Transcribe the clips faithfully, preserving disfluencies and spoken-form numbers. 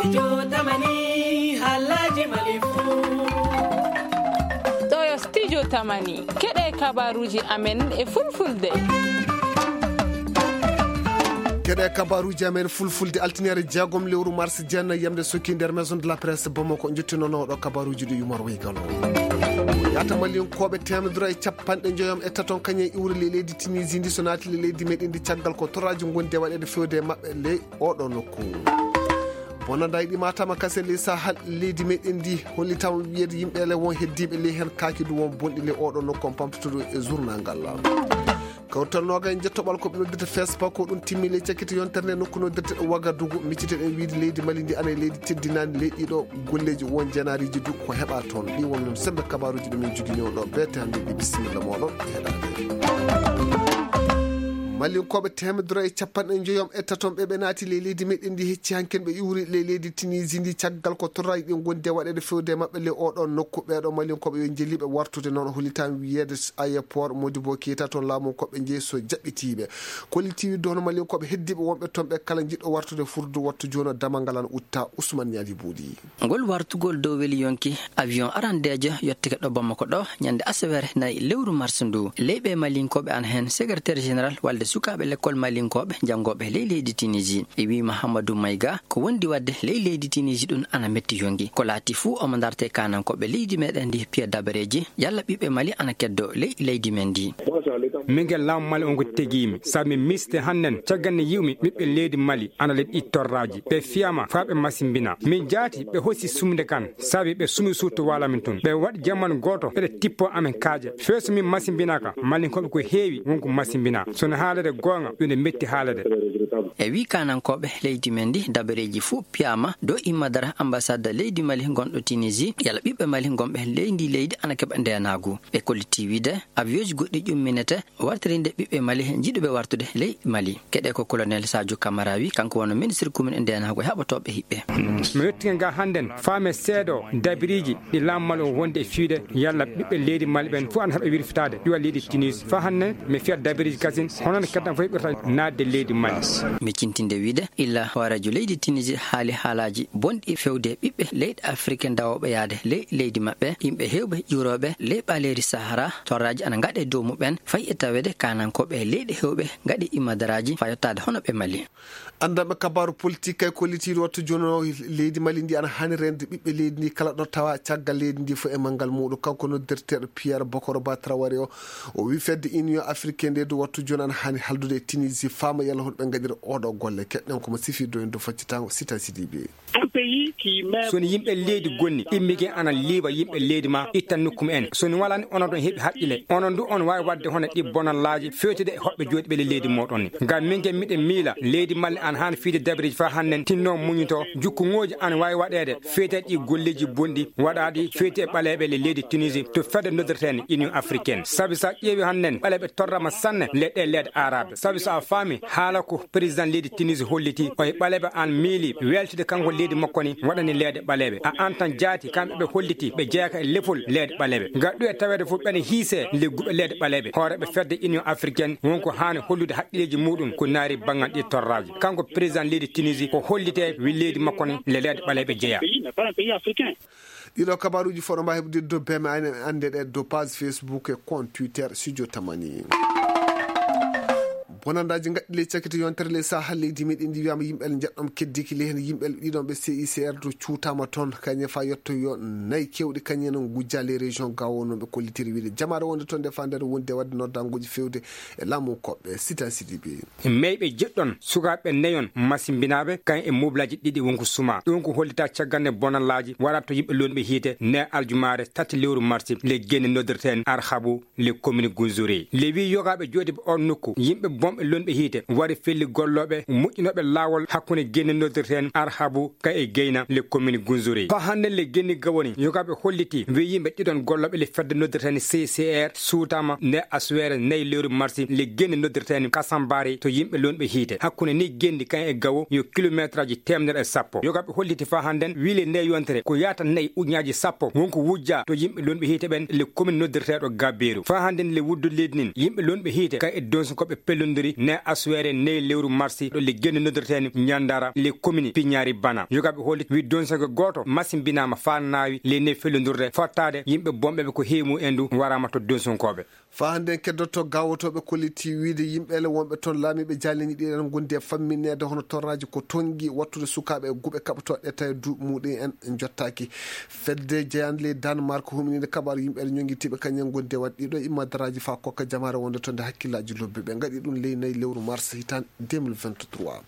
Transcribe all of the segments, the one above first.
Studio Tamani, haalaaji Mali fuu. Ɗo yo Studio Tamani, keɗe kabaruuji amen e fulfulde. Keɗe kabaruuji amen fulfulde, altiniere jeegom lewru mars, jeenayi yamde sokki nder Maison de la Presse Bamako, njottinono ɗo kabaruuji ɗi Umar Weygalo. Yaata Malinkooɓe teemedere e capanɗe njoyom e taton kañum e iwri le leydi Tunisie ndi, so naati le leydi meɗen ndi, caggal ko torraaji ngondi e waɗeede fewde e maɓɓe le oɗo nokku. Bonandaaji ɗi matama kase ley Sahel leydi meɗen ndi, hollitama wiyeede yimɓe le won heddiiɓe ley heen kaaki du won bonɗi le oɗo nokku on pamtotoɗo e journal ngal. Kawtal noga e jettoɓal ko ɓe noddirta fespa ko ɗum timmi ley cakkiti yontere nde nokku noddirta Wagadugu, miccite ɗen wiide leydi Mali ndi ana e leydi teddinaani ley ɗiɗo golleeji won jenaariiji du ko heɓa toon. Ɗi won noon sembe kabaruuji ɗi min jogini on ɗo beete hannde ɗi. Bisimilla mooɗon e heɗaade. Malinkooɓe teemedere e capanɗe njoyom e taton ɓe ɓe naati ley leydi meɗen ndi hecci hanken ɓe iwri ley leydi Tunisie ndi caggal ko torraaji ɗi ngondi e waɗeede fewde e maɓɓe ley oɗo nokku. Ɓeeɗo Malinkooɓe yo njeliiɓe wartude noon hollitaama wiyeede aéroport Modibo Keita toon laamu ko ɓe njeyi so jaɓɓitiiɓe. Kollitiiwi dono Malinkooɓe heddiiɓe wonɓe toon ɓe kala jiɗɗo wartude furdu wattu jooni damal ngal ana utta. Ousmane Ñaali Buuɗi. Ngol wartugol dow weli yonki avion arandeejo yottike ɗo Bamako ɗo ñande aseweere nayi lewru mars ndu. Leyɓe Malinkooɓe ana heen secrétaire général walde sukaaɓe lekkol Malinkooɓe janngooɓe ley leydi Tunisie. E wii Mahamadou Maïga ko wondi waɗde ley leydi Tunisie ɗum ana metti yonki. Ko laati fuu omo ndarte kanankooɓe leydi meɗen ndi piya dabareeji yalla ɓiɓɓe Mali ana keddo ley leydi men ndi. Min ngel laamu Mali on ko tegiimi. Sabi mi miste hannden caggal nde yi'umi ɓiɓɓe leydi Mali ana le ɗi torraaji. Ɓe fiyama faa ɓe masimbina. Min jaati ɓe hosi sumde kan. Sabi ɓe sumi suuto waala min tun. Ɓe waɗi jamanu gooto ɓeɗe tippo amen kaaƴe. Feeso min masimbinaka. Malinkooɓe ko heewi wonko masimbina. So no haalede goonga ɗum ne metti haalede. E wii kanankooɓe leydi men ndi dabareeji fuu piyama dow immadara ambassade leydi Mali gonɗo Tunisie. Yalla ɓiɓɓe Mali gonɓe ley ndi leydi ana keɓa ndenaagu. Ɓe kolliti wiide avion ji goɗɗi ƴumminete wartirinde ɓiɓɓe Mali jiɗuɓe wartude ley Mali. Keɗe ko colonel Sadio Camara wi, kanko woni ministre commune e ndenaagu e haɓotooɓe hiɓɓe. Mi yettike nga hannden faame seedo dabiriiji ɗi laamu Mali o wonde e fiide yalla ɓiɓɓe leydi Mali ɓen fof ana heɓa wirfitaade iwa leydi Tunis. Faa hannden mi fiya dabiriiji kasin hono no keddan fof heɓirta naatde leydi Mali. Mi cintinde wiide illa hooreejo leydi Tunisie haali haalaaji bonɗi fewde ɓiɓɓe leyɗe Afrique ndawooɓe yaade ley leydi maɓɓe. Yimɓe heewɓe ƴuurooɓe ley ɓaleeri Sahara, torraaji ana ngaɗe dow muɓɓen, fayi e taweede kaanankooɓe e leyɗe heewɓe ngaɗi immadaraaji faa yottaade hono ɓe Mali. Anndanɓe kabaaru politik kay kollitiiɗo wattu jooni o leydi Mali ndi ana haani reende ɓiɓɓe leydi ndi kala ɗo tawa caggal leydi ndi fof e manngal muuɗum. Kanko noddirteeɗo Pierre Bokoro Ba Traoré o, o wi fedde Union Africaine nde du wattu jooni ana haani haldude e Tunisie faama yalla hono ɓe ngaɗira oɗo golle. Keɗɗen ko mo sifi doyen do faccitango Sita Sidibé. So ni yimɓe leydi gonni immige ana liiwa yimɓe leydi ma itta nokku mumen, so ni walaani onon ɗon heɓi haqqile, onon du on waawi waɗde hono ɗi bonallaaji fewtude e hoɓɓe jooɗiɓe le leydi moɗon ni. Ngam min ke miɗen miila leydi Mali ana haani fiide dabreeji faa hannden tinno muñito jukkuŋooji ana waawi waɗeede fewte ɗi golleeji bonɗi waɗaaɗi fewte e ɓaleeɓe le leydi Tunisie to fedde noddirteende Union Africaine. Sabi so a ƴeewi hannden ɓaleeɓe torrama sanne le ɗe leyɗe Arabe. Sabi so a faami haala ko président leydi Tunisie holliti o e ɓaleeɓe an miili weltude kanko leydi makko ni waɗani leyɗe ɓaleeɓe. A an tan jaati kamɓe ɓe holliti ɓe jeyaka e lefol leyɗe ɓaleeɓe. Ngal ɗu e taweede fof ɓene hiise le guɓe leyɗe ɓaleeɓe. Hooreeɓe fedde Union Africaine wonko haani hollude haqqilleeji muɗum ko naari banngal ɗi torraaji. Kanko président leydi Tunisie ko hollite wi leydi makko ni le leyɗe ɓaleeɓe jeya. Ɗiɗo kabaaruuji fof ɗo mbaawi heɓde dow beme annde ɗe dow page Facebook e compte Twitter Studio Tamani. Bonandaaji ngaɗɗi ley cakkito yontere ley Sahel leydi meɗen ndi wiyaama yimɓe njeɗɗon keddiki ley heen yimɓe ɗiɗon ɓe C I C R to cuutaama toon kañe faa yetto yo nayi kewɗi kañe no ngujja ley région Gao no ɓe kollitiri wiide jamaare wonde toon nde faa nder wonde waɗde noddanguuji fewde e laamu koɓɓe Sita Sidibé. Meyɓe jeɗɗon sukaaɓe neyon masimbinaaɓe kañ e moblaaji ɗiɗi wonko suma. Ɗum ko hollita caggal nde bonallaaji waɗata to yimɓe lonɓe hiite ne aljumaare tati lewru marsi le genne noddirteen Arhabu le commune Gunzuri. Le wi yogaaɓe jooɗiiɓe on nokku yimɓe bonɓe lonɓe hiite wari felli gollooɓe moƴƴinooɓe laawol hakkunde genne noddirteen Arhabu ka e Geyna le commune Gunzuri. Faa hannde le genni gawoni yogaaɓe holliti wi yimɓe ɗiɗon gollooɓe le fedde noddirteen C C R suutaama nde asweere nayi lewru marsi le genni noddirteen Kasambari to yimɓe lonɓe hiite. Hakkunde ni genni kan e gawo yo kilometraaji teemedere e sappo. Yogaaɓe holliti faa hannden wi le nde yontere ko yaata nayi ujunnaaji sappo wonko wujja to yimɓe lonɓe hiite ɓen le commune noddirteeɗo Gabeeru. Faa hannden le wuddu leydi nin yimɓe lonɓe hiite kan e donsukoɓe pellondiri ɗi ne aswere ney lewru marsi ɗo le genni noddirteeni ñandara le commune piñaari bana. Yogaɓe holliti wi donsoge gooto masimbinaama faa naawi le ney fellondurde fottaade yimɓe bomɓeɓe ko heemu en ndu waraama to donsonkooɓe. Faa hannde en keddotto gaawotooɓe kolliti wiide yimɓe ele wonɓe toon laamiiɓe jaaleñi ɗi en ngondi e fammineede hono torraaji ko tongi wattude sukaaɓe e guɓe kaɓotooɗe tawi duuɓi muɗum en jottaaki. Fedde jeyaande ley Danemark huminiinde kabaaru yimɓe ele ñonngitiiɓe kañum en ngondi e waɗde ɗiɗo immadaraaji faa kokka jamaare wonde toon nde hakkillaaji lobbe ɓe ngaɗi ɗum ley nayi lewru mars hitaande deux mille vingt-trois.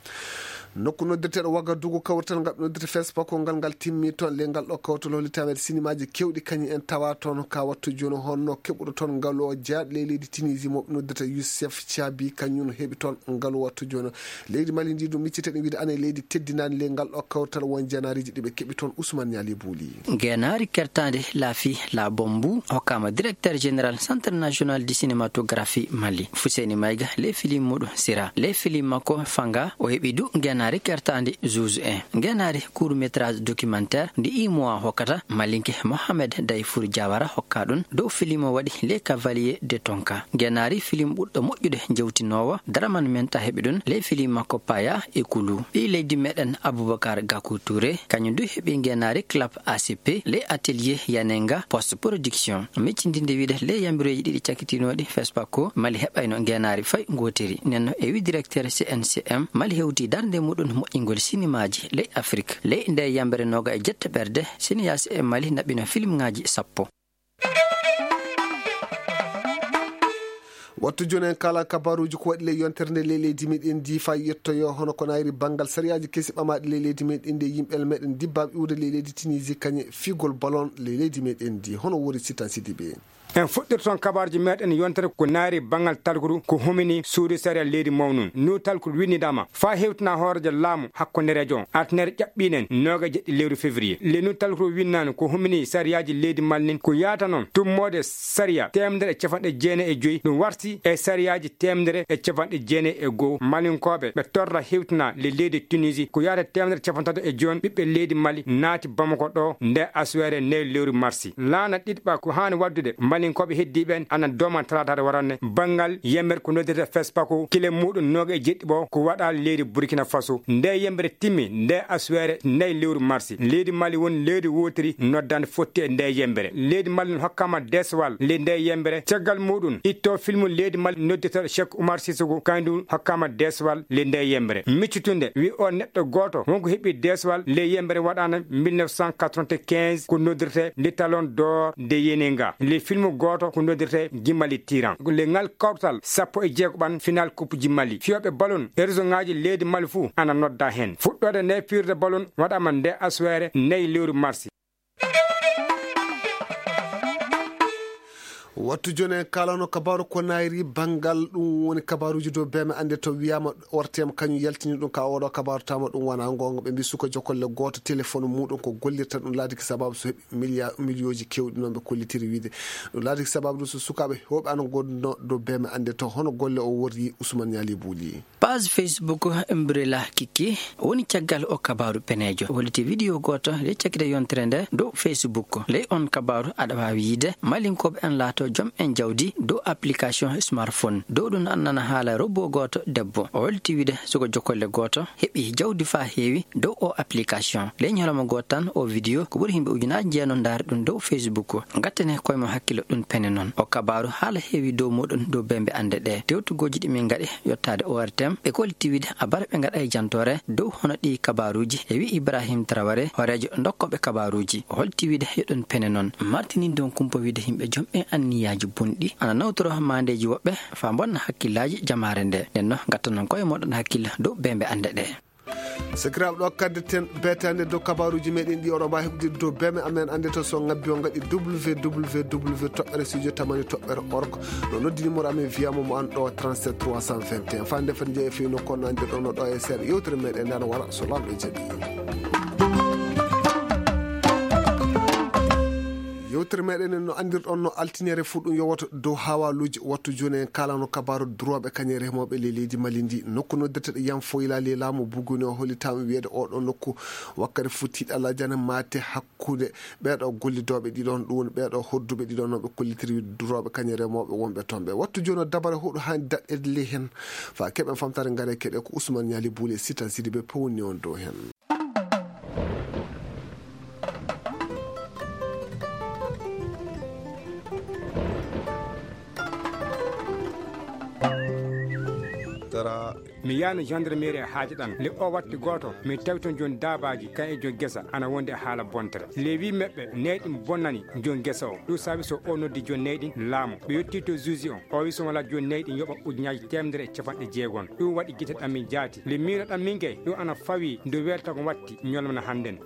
Nokku noddirteeɗo Wagadugu kawrital ngal ɓe noddirta Fespa ko ngal ngal timmi toon ley ngal ɗo kawtal holli taweede sinimaaji keewɗi kañum en tawa toon ka wattu jooni honno keɓuɗo toon ngalu o jeyaaɗo ley leydi Tunisie mo ɓe noddirta Youssef Thiabi kañum heɓi toon ngalu wattu jooni. Leydi Mali ndi ɗum miccitee ɗum wiide ane leydi teddinaani ley ngal ɗo kawtal won jeenaariiji ɗi ɓe keɓi toon Ousmane Niali Bouli. Ngeenaari kertaande laafi la bombu hokkama directeur général Centre National de Cinématographie Mali. Fuseni Maïga le film muɗum sira. Le film makko fanga o heɓi du ngeenaari kertaande Zuzu en. Ngeenaari court métrage documentaire ndi imowa hokkata Malinke Mohamed Daifour Diawara hokka ɗum dow film o waɗi Les Cavaliers de Tonka. Ngeenaari film ɓurɗo moƴƴude jewtinoowo Daraman Menta heɓi ɗum le film makko Paya e Kulu. Ɓii leydi meɗen Abubakar Gakou Touré, kañum du heɓi ngeenaari club A C P, le atelier Yanenga Post Production. Miccindinde wiide le yambireeji ɗiɗi cakkitinooɗi Fespa ko Mali heɓayno ngeenaari fay ngootiri. Nenno e wi directeur C N C M, Mali hewti darnde muɗum moƴƴingol sinimaaji ley Afrik. Ley nde yambere nooga e jette ɓerde, siniyas e Mali naɓino filmŋaaji sappo. Wattu jooni en kala kabaruuji ko waɗi ley yontere nde ley leydi meɗen ndi faa yettoyo hono ko nayri banngal sariyaaji kesi ɓamaaɗi ley leydi meɗen ndi yimɓe meɗen dibbaaɓe iwde ley leydi Tunisie kañe figol ballon ley leydi meɗen ndi hono wori Sitan Sidibe. En fuɗɗirton kabaruuji meɗen yontere ko nayri banngal talkuru ko humini suudu sariya leydi mawnun. Nu talkuru winnidaama faa hewtina hooreejo laamu hakkundereejo on artinere ƴaɓɓiinen nooga e jeɗɗi lewru février. Lenu talkuru winnaani ko humini sariyaaji leydi Mali nin ko yaata noon tummoode sariya teemedere e capanɗe jeenayi e joyi ɗum warti e sariyaaji teemedere e capanɗe jeenayi e goo. Malinkooɓe ɓe torra hewtina le leydi Tunisie ko yaata teemedere capantato e jooni ɓiɓɓe leydi Mali naati Bamako ɗo nde aswere nde lewru marsi. Laana ɗiɗɓa ko haani waddude Malinkooɓe heddii ɓen ana dooma talaataare waranne banngal yemmer ko noddirta Fespako kile muɗum nooga e jeɗɗi ɓo ko waɗa leydi Burkina Faso. Nde yembere timmi nde aswere nayi lewru marsi. Leydi Mali woni leydi wootiri noddande fotti e nde yembere. Leydi Mali non hokkama deswal le nde yembere. Caggal muɗum itto filmu leydi Mali noddita Cheikh Oumar Sissoko kandu hokkama deswal le nde yembere. Miccitunde wi o neɗɗo gooto wonko heɓi deswal le yembere waɗana mille neuf cent quatre-vingt-quinze ko noddirte le Talon d'Or de Yenenga. Le filmu gooto ko noddirte Jimali Tiran. Le ngal kawtal sappo e jeego ɓan final coupe ji Mali. Fiyooɓe balon e région ŋaaji leydi Mali fuu ana nodda heen. Fuɗɗoode nde firde balon waɗama nde aswere nayi lewru marsi. Wattu jooni en kaalano kabaaru ko nayri banngal ɗum woni kabaaruuji dow beeme annde to wiyaama ortem kañum yaltini ɗum ka oɗo kabaaru tama ɗum wona goonga ɓe mbi suka jokolle gooto téléphone muɗum ko gollirta ɗum laadiki sababu so heɓi milliard millioji kewɗi noon ɓe kollitiri wiide ɗum laadiki sababu ɗum so sukaaɓe hewɓe ana gonduno dow beeme annde to hono golle o worri Ousmane Niali Bouli. Page Facebook Umbrella Kiki woni caggal o kabaaru peneejo. Holliti video gooto ley cakkite yontere nde dow Facebook. Ley on kabaaru aɗa waawi yiide malinkooɓe en laato jom en jawdi dow application smartphone. Dow ɗum an nana haala robot gooto debbo. O holliti wiide suka jokolle gooto heɓi jawdi faa heewi dow o application. Ley ñalawma gooto tan o video ko ɓuri yimɓe ujunaaji jeenom ndaari ɗum dow Facebook. Gattane koye mo hakkilo ɗum pene noon. O kabaaru haala heewi dow muɗum dow bembe annde ɗe. Tewtugooji ɗi min ngaɗi yottaade O R T M, ɓe kolliti wiide a bara ɓe ngaɗa e jantoore dow hono ɗi kabaaruuji, e wi Ibrahim Traoré, hooreejo ndokkooɓe kabaaruuji. O holti wiide yo ɗum pene noon. Martini don kumpa wiide yimɓe jom e anniyaaji bonɗi ana nawtoro maandeeji woɓɓe faa mbonna hakkillaaji jamaare nde. Nden no ngatta noon koye moɗon hakkilla dow bembe annde ɗe. Sakiraaɓe, ɗo kaddaten beetaande dow kabaaruuji meɗen ɗi oɗo mbaawi heɓde dow beeme amen annde to so ngabbi o ngaɗi W W W toɓɓere studio tamani toɓɓere org. No noddi numéro amen wiyama mo an ɗo trente-sept trois cent vingt et un. Faa nde fati jeeya fewno kono annde ɗo no ɗo e seeɗa yewtere meɗen nde ana wara so Laamɗo jaɓi. Yewtere meɗen no anndirɗon no altinere fuu ɗum yowata dow hawaluuji. Wattu jooni en kaalano kabaaru durooɓe kañe remooɓe ley leydi Mali ndi. Nokku noddirteɗo Yam Foyla ley laamu Buguni o hollitaama wiyeede oɗo nokku wakkati fuu tiiɗalaaji ana maate hakkunde ɓeeɗo gollidooɓe ɗiɗon, ɗum woni ɓeeɗo hodduɓe ɗiɗon no ɓe kollitiri durooɓe kañe remooɓe wonɓe toon ɓe. Wattu jooni o dabare huɗo haani daɗɗeede ley heen. Faa keɓen famtaare ngare keɗe ko Ousmane Ñaali Buule Sita Sidi ɓe pewni on dow heen. Tara. Mi yaano gendarmerie e haaja ɗan. Le o watti gooto, mi tawi toon jooni daabaaji, kan e jooni gesa, ana wondi e haala bontere. Le wi meɓɓe, neyɗi bonnani jooni gesa o. Ɗum saabi so o noddi jooni neyɗi laamu. Ɓe yetti to juge on. O wi so wala jooni neyɗi yoɓa ujunnaaji teemedere e capanɗe jeegom. Ɗum waɗi gite ɗan min jaati. Le miino ɗan min gay, ɗum ana fawi nde welta ko watti ñolmana hannden.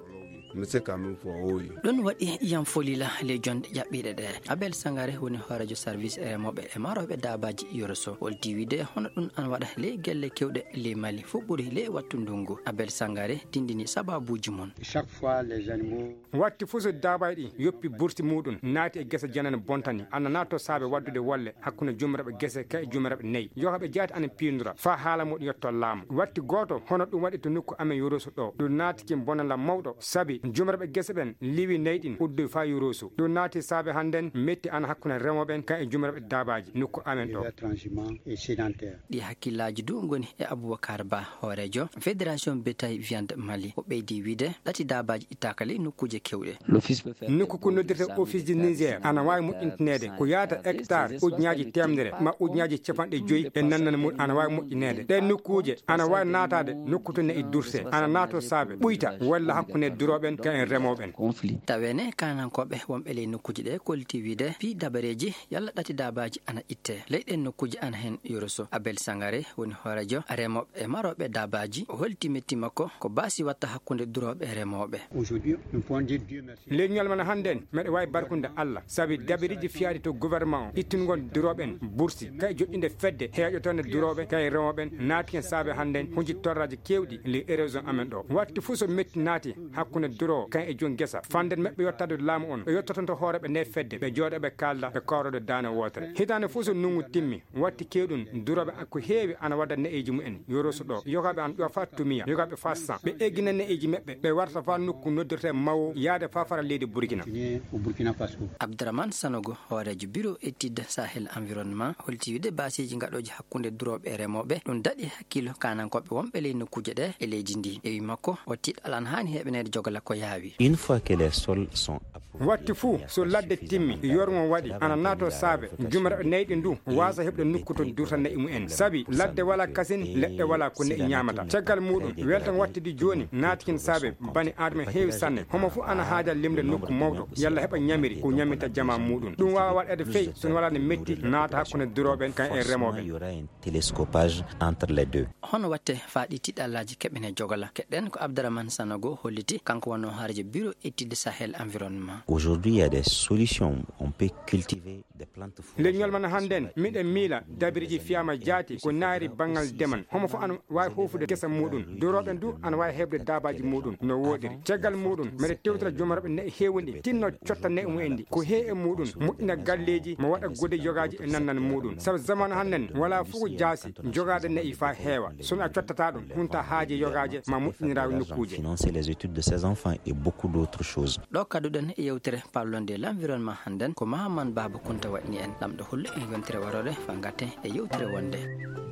Monsieur Kamil Fo, oui. Ɗum waɗi Yam Folila ley jonde ƴaɓɓiiɗe ɗe. Abel Sangare woni hooreejo service e remooɓe e marooɓe daabaaji Yoroso. Holti wiide hono ɗum ana waɗa ley gelle kewɗe ley Mali, fof ɓuri ley wattu ndungu. Abel Sangare dindini sababuuji mum. Chaque fois, les animaux. Watti fof so daabaaji ɗi yoppi burti muɗum, naati e gese janane bontani, ana naato saabe waddude wolle hakkunde jumiraɓe gese ka e jumiraɓe nayi. Yoga ɓe jaati ana piindura, faa haala muɗum yotto laamu. Watti gooto, hono ɗum waɗi to nokku amen Yoroso ɗo. Ɗum naati kin bonanla mawɗo, sabi jumiraɓe gese ɓen liwi nayi ɗin uddoy faa Yoroso. Ɗum naati saabe hannden metti ana hakkunde remooɓe ɓen ka e jumiraɓe daabaaji nokku amen ɗo. Transhumant et sédentaire. Ɗi hakkillaaji du ngoni e Aboubacar Ba, hooreejo Fédération Bétail Viande Mali. O ɓeydi wiide, ɗati daabaaji ittaaka ley nokkuuje kewɗe. Nokku ko noddirte Office du Niger ana waawi moƴƴintineede ko yaata hectare ujunnaaji teemedere ma ujunnaaji capanɗe joyi e nannan mum ana waawi moƴƴineede. Ɗee nokkuuje ana waawi naataade nokku to nayi durte, ana naato saabe ɓuyta walla hakkunde durooɓe ɓen ka en remooɓe ɓen. Taweene kaanankooɓe wonɓe ley nokkuuje ɗe kolliti wiide fii dabareeji yalla ɗati daabaaji ana itte. Ley ɗen nokkuuje ana heen Yoroso. Abel Sangare woni hooreejo remooɓe e marooɓe daabaaji. O holti metti makko ko baasi watta hakkunde durooɓe e remooɓe. Aujourd'hui, nous pouvons dire Dieu merci. Ley ñalmana hannden, meɗe waawi barkunde Alla, sabi dabiriiji fiyaaɗi to gouvernement o, ittungol durooɓe ɓen bursi, kay joɗɗinde fedde heeƴotoonde durooɓe, kay remooɓe ɓen, naati hen saabe hannden, hunji torraaji keewɗi ley e région amen ɗo. Watti fof so metti naati hakkunde duroowo, kay e joom gesa, fannden meɓɓe yottaade laamu on, o yottotonto hooreeɓe nde fedde, ɓe jooɗo ɓe kaalda, ɓe kawrodo daane wootere. Hitaande fof so nungu timmi, watti kewɗum durooɓe ko heewi ana wadda ne'eeji mumen, Yoroso ɗo, yogaaɓe ana ƴofa tumiya, yogaaɓe faa san. Ɓe eggina ne'eeji meɓɓe, ɓe warta faa nokku noddirte Mawo, yaade faa fara leydi Burkina. Continuer au Burkina Faso. Abdourahmane Sanogo, hooreejo Bureau Étude Sahel Environnement, holti wiide baaseeji gaɗooji hakkunde durooɓe e remooɓe, ɗum daɗi hakkilo kaanankooɓe wonɓe ley nokkuuje ɗe e leydi ndi. E wi makko, o tiiɗal ana haani heɓaneede jogala ko yaawi. Une fois que les sols sont Watti fuu, so ladde timmi, yorgo waɗi, ana naato saabe, jumiraɓe nayɗi ndu, waasa heɓde nokku to durta na'i mumen. Sabi ladde wala kasin, leɗɗe wala ko na'i ñaamata. Caggal muɗum, weltan wattidi jooni, naatikin saabe, bani Adama heewi sanne. Homo fuu ana haaja limde nokku mawɗo, yalla heɓa ñamiri, ko ñaminta jama muɗum. Ɗum waawa waɗeede fey, so wala ne metti, naata hakkunde durooɓe kan e remooɓe. Télescopage entre les deux. Hono watte faa ɗi tiɗallaaji keɓene jogala? Keɗen ko Abdourahmane Sanogo holliti, kanko wonno hooreejo Bureau Étude Sahel Environnement. Aujourd'hui, il y a des solutions. On peut cultiver des plantes fourragères. Leñol man hannden, miɗen miila dabiriji fiyama jaati ko naari banngal demal. Homo fof ana waawi hoofude gesa muɗum. Durooɓe du ana waawi heɓde daabaaji muɗum no wooɗiri. Caggal muɗum, mbeɗa tewtira jomorɓe na'i heewuɗi, tinno cotta na'i mumen ɗi. Ko heewi e muɗum, moƴƴina galleeji, mo waɗa gode yogaaji e nannan muɗum. Sabu zamanu hannden, wala fof ko jaasi, jogaade na'i faa heewa. So a cottataa ɗum, hunta haaje yogaaje, ma moƴƴiniraawi nokkuuje. Financer les études de ses enfants et beaucoup d'autres choses. Ɗo kadduɗen e yewtere parlonde l'environnement hannden, ko Mahaman Baaba Kunta waɗni en. Lamɗo hollu en yontere warore, faa ngatten e yewtere wonde.